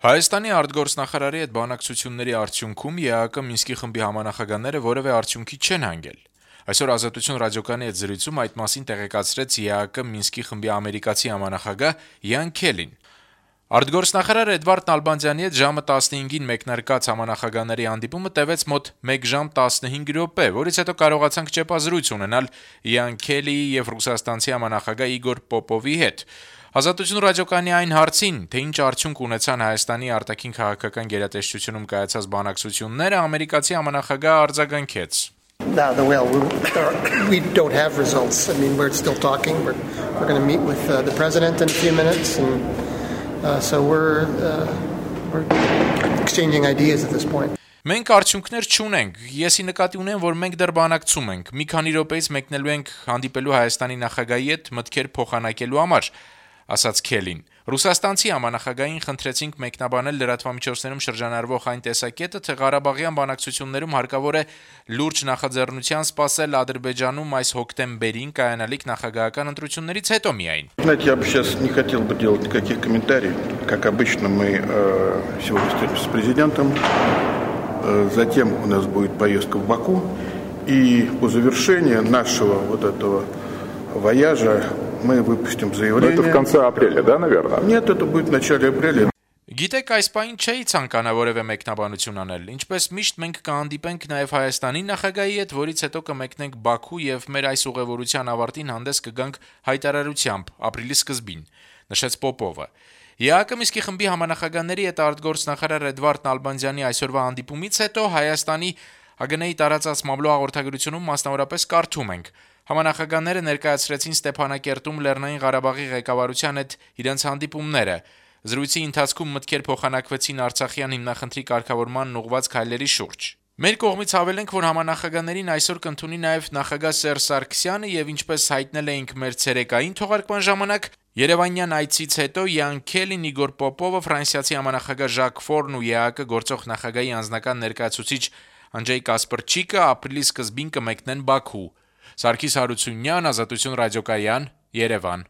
Հայաստանի արտգործնախարարի հետ բանակցությունների արդյունքում ԵԱՀԿ Մինսկի խմբի համանախագահները որևէ արդյունքի չեն հանգել։ Այսօր Ազատություն ռադիոկայանի հետ զրույցում այդ մասին տեղեկացրեց ԵԱՀԿ Մինսկի խմբի ամերիկացի համանախագահ Յան Քելին։ Արտգործնախարար Էդվարդ Նալբանդյանի հետ ժամը 15-ին մեկնարկած համանախագահների հանդիպումը տևեց մոտ 1 ժամ 15 րոպե, որից հետո կարողացանք ճեպազրույց ունենալ Յան Քելիի եւ ռուսաստանցի համանախագահ Իգոր Պոպովի հետ։ Ազատություն ռադիոկայանի այն հարցին, թե ինչ արդյունք ունեցան Հայաստանի արտաքին քաղաքական գերատեսչությունում կայացած բանակցությունները, ամերիկացի համանախագահը արձագանքեց. We don't have results. I mean, we're still talking. We're going to meet with the president in a few minutes, and so we're exchanging ideas at this point. Մենք արդյունքներ չունենք։ Եսի նկատի ունեմ, որ մենք դեռ բանակցում ենք։ Մի քանի րոպեից մեկնելու ենք հանդիպելու Հայաստանի նախագահի հետ մտքեր փոխանակելու համար, ասաց Քելին։ Ռուսաստանցի համանախագահին խնդրեցինք մեկնաբանել լրատվամիջոցներում շրջանառվող այն տեսակետը, թե Ղարաբաղյան բանակցություններում հարկավոր է լուրջ նախաձեռնության սպասել Ադրբեջանում այս հոկտեմբերին կայանալիք նախագահական ընտրություններից հետո միայն։ Знаете, я бы сейчас не хотел бы делать никаких комментариев. Как обычно, мы сегодня встретимся с президентом. Затем у нас будет поездка в Баку. И по завершении нашего вот этого вояжа мы выпустим заявление. Это в конце апреля, да, наверное? Нет, это будет в начале апреля. Գիտեք, այս պահին չէի ցանկանա որևէ մեկնաբանություն անել։ Ինչպես միշտ մենք կհանդիպենք նաև Հայաստանի նախագահի հետ, որից հետո կմեկնենք Բաքու եւ մեր այս ուղևորության ավարտին հանդես կգանք հայտարարությամբ ապրիլի սկզբին, նշեց Պոպովը։ ԵԱՀԿ Մինսկի խմբի համանախագահների հետ արտգործնախարար Էդվարդ Նալբանդյանի այսօրվա հանդիպումից հետո Հայաստանի ՀԳՆ-ի տարածած մամլո հաղորդագրությունում մասնավորապես կարդում ենք. Համանախագահները ներկայացրեցին Ստեփանակերտում Լեռնային Ղարաբաղի ղեկավարության հետ իրենց հանդիպումները։ Զրույցի ընթացքում մտքեր փոխանակվեցին Արցախյան հիմնախնդրի կարգավորման ուղղված քայլերի շուրջ։ Մեր կողմից հավելենք, որ համանախագահներին այսօր կընդունի նաև նախագահ Սերժ Սարգսյանը եւ ինչպես հայտնել էինք մեր ցերեկային թողարկման ժամանակ, Երևանյան այցից հետո Յան Քելին, Իգոր Պոպովը, ֆրանսիացի համանախագահ Ժակ Ֆորն ու ԵԱՀԿ գործող նախագահի անձնական ներկայացուցիչ Անջեյ Կասպրչիկը ապրիլի սկզբին կմեկնեն Բաքու։ Սարգիս Հարությունյան, Ազատություն ռադիոկայան, Երևան։